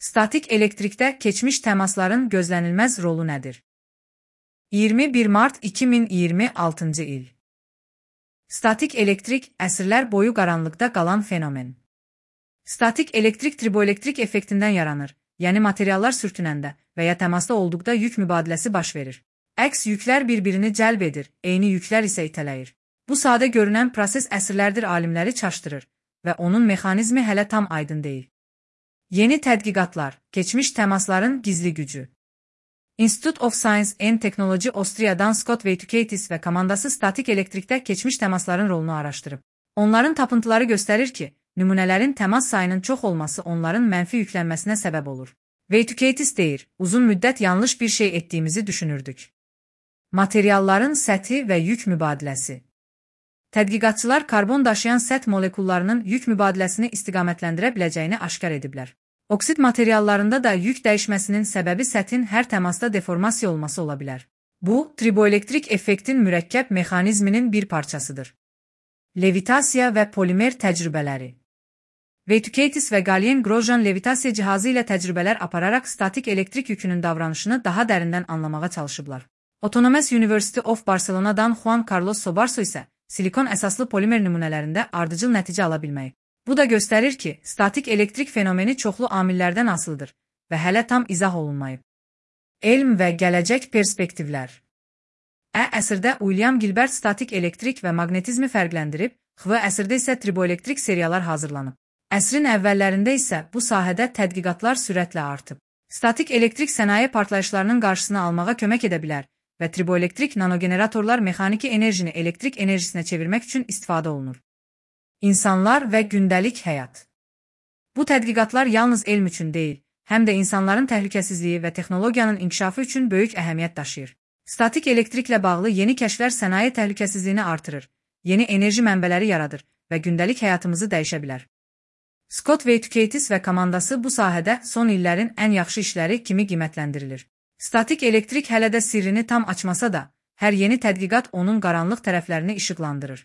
Statik elektrikdə keçmiş təmasların gözlənilməz rolu nədir? 21 mart 2026-cı il. Statik elektrik əsrlər boyu qaranlıqda qalan fenomen. Statik elektrik triboelektrik effektindən yaranır, yəni materiallar sürtünəndə və ya təmasda olduqda yük mübadiləsi baş verir. Əks yüklər bir-birini cəlb edir, eyni yüklər isə itələyir. Bu sadə görünən proses əsrlərdir alimləri çaşdırır və onun mexanizmi hələ tam aydın deyil. Yeni tədqiqatlar, keçmiş təmasların gizli gücü. Institute of Science and Technology Austria'dan Scott Veytukaitis və komandası statik elektrikdə keçmiş təmasların rolunu araşdırıb. Onların tapıntıları göstərir ki, nümunələrin təmas sayının çox olması onların mənfi yüklənməsinə səbəb olur. Veytukaitis deyir, uzun müddət yanlış bir şey etdiyimizi düşünürdük. Materialların səthi və yük mübadiləsi. Tədqiqatçılar karbon daşıyan səth molekullarının yük mübadiləsini istiqamətləndirə biləcəyini aşkar ediblər. Oksid materiallarında da yük dəyişməsinin səbəbi səthin hər təmasda deformasiya olması ola bilər. Bu, triboelektrik effektin mürəkkəb mexanizminin bir parçasıdır. Levitasiya və polimer təcrübələri. Veytukaitis və Galien-Grosjean levitasiya cihazı ilə təcrübələr apararaq statik elektrik yükünün davranışını daha dərindən anlamağa çalışıblar. Autonomous University of Barcelona'dan Juan Carlos Sobarso isə silikon əsaslı polimer nümunələrində ardıcıl nəticə ala bilməyib. Bu da göstərir ki, statik elektrik fenomeni çoxlu amillərdən asılıdır və hələ tam izah olunmayıb. Elm və gələcək perspektivlər. Əsrdə William Gilbert statik elektrik və maqnetizmi fərqləndirib, əsrdə isə triboelektrik seriyalar hazırlanıb. Əsrin əvvəllərində isə bu sahədə tədqiqatlar sürətlə artıb. Statik elektrik sənaye partlayışlarının qarşısını almağa kömək edə bilər və triboelektrik nanogeneratorlar mexaniki enerjini elektrik enerjisinə çevirmək üçün istifadə olunur. İnsanlar və gündəlik həyat. Bu tədqiqatlar yalnız elm üçün deyil, həm də insanların təhlükəsizliyi və texnologiyanın inkişafı üçün böyük əhəmiyyət daşıyır. Statik elektriklə bağlı yeni kəşflər sənaye təhlükəsizliyini artırır, yeni enerji mənbələri yaradır və gündəlik həyatımızı dəyişə bilər. Scott Veytukaitis və komandası bu sahədə son illərin ən yaxşı işləri kimi qiymətləndirilir. Statik elektrik hələ də sirrini tam açmasa da, hər yeni tədqiqat onun qaranlıq tərəflərini işıqlandırır.